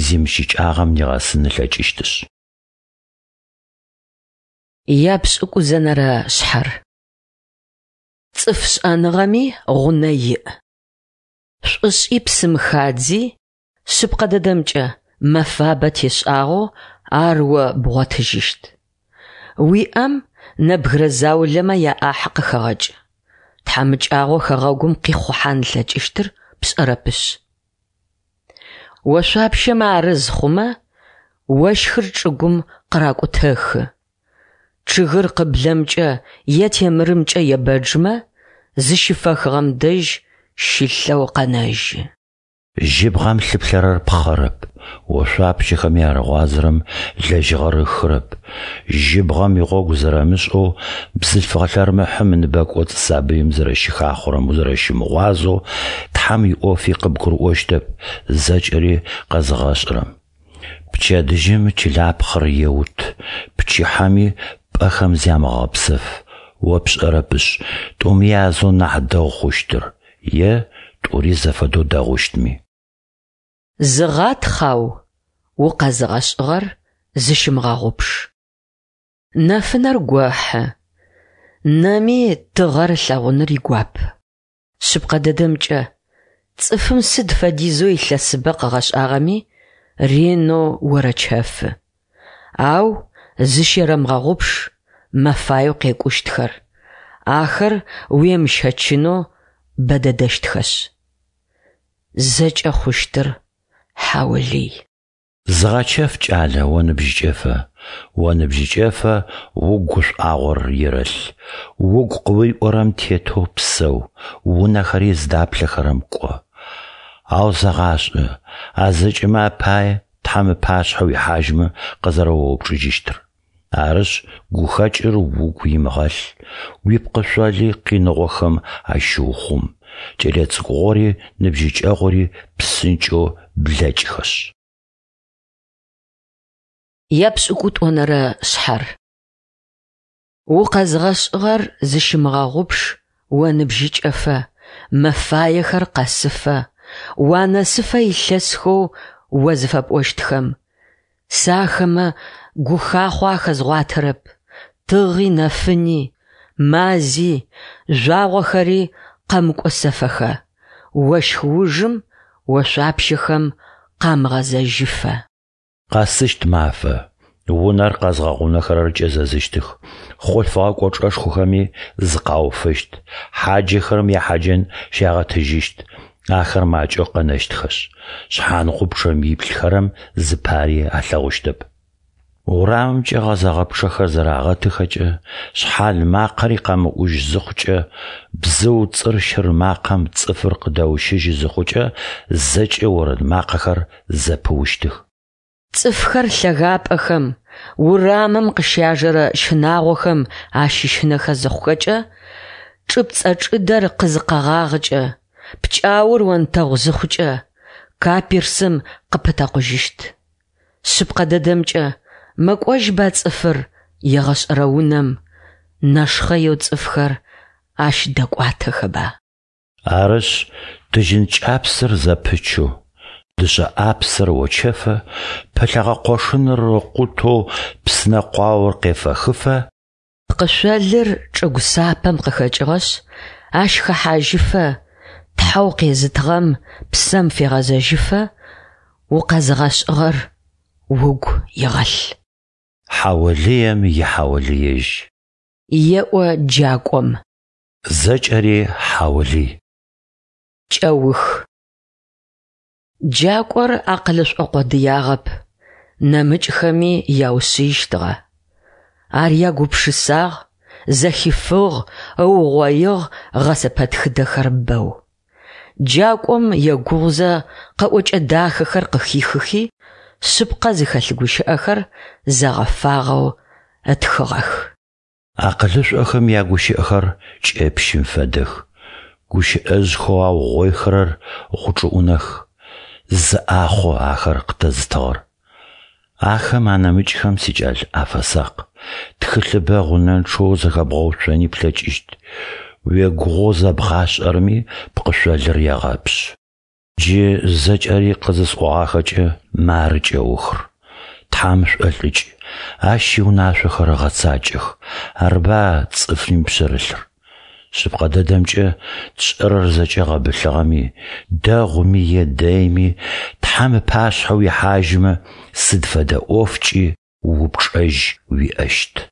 зимыщыкӏагъэм нигъэсын ылъэкӏыщтышъ. Япшӏыкӏузэнэрэ шъхьэр. Цӏыф шӏэныгъэми гъунэ иӏ. Шӏушӏи псым хадзи, шъыпкъэ дэдэмкӏэ, мэфабэ тешӏагъэу ар о бгъотыжьыщт. Уиӏэм нэбгырэ заулэмэ яӏахьы къыхэгъэкӏ. Тхьамыкӏагъо хэгъэгум къихъухьан ылъэкӏыщтыр пшӏэрэпышъ. Ошъуапщэмэ арыз хъумэ, ощхыр чӏыгум къыракӏутэхы. Чъыгыр къыблэмкӏэ е темырымкӏэ ебэджмэ, зыщыфэхыгъэм дэжь щылъэу къэнэжьы. Жьыбгъэм лъыплъэрэр пхъэрэп, ошъуапщэхэми арыгъуазэрэм лэжьыгъэр ыхырэп. Жьыбгъэм игъогу зэрэмышӏэу бзылъфыгъэ лъэрмыхьым ыныбэкӏоцӏ сабыим зэрэщыхахъорэм узэрэщымыгъуазэу Тхьэм иӏофи къыбгурыӏощтэп зэкӏэри къэзыгъэшӏырэм. Пчэдыжьым чылапхъэр еут, пчыхьэми пӏэхэм зямыгъэгъэпсэф, о пшӏэрэпышъ, тӏуми язэу нахь дэгъу хъущтыр, е тӏури зэфэдэу дэгъущтми. Зыгъатхъ, ау укъэзыгъэшӏыгъэр зыщымыгъэгъупш. Нэфынэр гохьы, нэми тыгъэр ылъэгъуныр игуап. Шъыпкъэ дэдэмкӏэ, цӏыфым сыд фэдизэу илъэсыбэ къыгъэшӏагъэми, ренэу орэчэфы. Ау зыщерэмыгъэгъупш мэфаеу къекӏущтхэр, ахэр уемыщэчынэу бэ дэдэщтхэшъ. Зэкӏэ хъущтыр хьаулый. Зыгъэчэф, кӏалэ, оныбжьыкӏэфэ, Оныбжьыкӏэфэ угу гушӏуагъор ерэлъ, Угу къыуиӏорэм тетэу псэу, Унэхэри зыдаплъэхэрэм кӏо. Ау зэгъашӏэ, а зэкӏэмэ апае Тхьэм ыпашъхьэ уихьажьмэ къызэрэоупчӏыжьыщтыр. Арышъ, гухэкӏыр угу имыгъэлъ, уипкъышъоли къиныгъохэм ащыухъум, кӏэлэцӏыкӏугъори ныбжьыкӏэгъури псынкӏэу блэкӏхэшъ. Епшӏыкӏутӏонэрэ шъхьэр. Укъэзгъэшӏыгъэр зыщымыгъэгъупш оныбжьыкӏэфэ, мэфаехэр къэсыфэ, уанэсыфэ илъэсхэу о зыфэпӏощтхэм. Сэ ахэмэ гухахъо ахэзгъуатэрэп, тыгъи нэфыни, мази, жъуагъохэри къэмыкӏосэфэхэ, ощх ужым ошъуапщэхэм къамыгъэзэжьыфэ. Къэсыщт мафэ, унэр къэзгъэгъунэхэрэр кӏэзэзыщтых, хъулъфыгъэ кӏочӏэшхохэми зыкъауфыщт, хьаджэхэрэм яхьаджэн щагъэтыжьыщт, ахэр макӏэу къэнэщтхэшъ, шъхьангъупчъэм иплъыхэрэм зыпари алъэгъущтэп. Урамымкӏэ гъэзэгъэ пчъэхэр зэрагъэтыхэкӏэ, шъхьал макъэри къэмыӏужь зыхъукӏэ, бзыу цӏыр-щыр макъэм цӏыфыр къыдэущыжьы зыхъукӏэ, зэкӏэ орэд макъэхэр зэпыущтых. Цӏыфхэр лъэгапӏэхэм, урамым къыщяжэрэ щынагъохэм ащыщынэхэ зыхъухэкӏэ, чӏыпцӏэ чӏыдэр къызыкъэгъагъыкӏэ, пкӏаур онтэгъу зыхъукӏэ, каперсым къыпытэкъужьыщт. Шъыпкъэ дэдэмкӏэ, мэкӏожьба цӏыфыр егъэшӏэрэ унэм, нэшхъэеу цӏыфхэр ащ дэкӏуатэхэба? Арышъ, тыжьын кӏапсэр зэпычэу, дышъэ ӏапсэр очэфэ, пылъэгъэ къошыныр ыкъутэу псынэ къуаор къефэхыфэ, Пкъышъолыр чӏыгу сапэм къыхэкӏыгъэшъ, ащ хэхьажьыфэ, Тхьэу къезытыгъэм псэм фегъэзэжьыфэ, укъэзыгъэшӏыгъэр угу игъэлъ. Хьаолыем ихьаолыежь. Еӏо джакӏом. Зэкӏэри хьаолый. Кӏэух. Джакӏор акъылышӏо къодыягъэп, нэмыкӏхэми яушъыищтыгъэ. Ар ягупшысагъ, зэхифыгъ, ыугъоигъ гъэсэпэтхыдэхэр бэу. Джакӏом егугъузэ къэӏокӏэ дахэхэр къыхихыхи, шъыпкъэ зыхэлъ гущыӏэхэр зэгъэфагъэу ытхыгъэх. Акъылышӏохэм ягущыӏэхэр кӏэпщым фэдэх, гущыӏэжъхэу аугъоихэрэр гъучӏыӏунэх, зы ӏахъу ахэр къытэзытыгъэр. Ахэм анэмыкӏхэм, сикӏал, афэсакъ, тхылъыбэ гъунэнчъэу зэхэбгъэуцони плъэкӏыщт, уегугъоу зэбгъашӏэрэми пкъышъолыр егъэпшъы. Джы зэкӏэри къызысӏогъахэкӏэ, мары кӏэухыр. Тхьэм шӏолӏыкӏ, Ащ иунашъохэр ыгъэцакӏэх, арыба цӏыфым ипшъэрылъыр. Шъыпкъэ дэдэмкӏэ, тшӏэрэр зэкӏэ гъэбылъыгъэми, дэгъуми е дэйми, Тхьэм ыпашъхьэ уихьажьымэ, сыд фэдэ ӏофкӏи упчӏэжь уиӏэщт.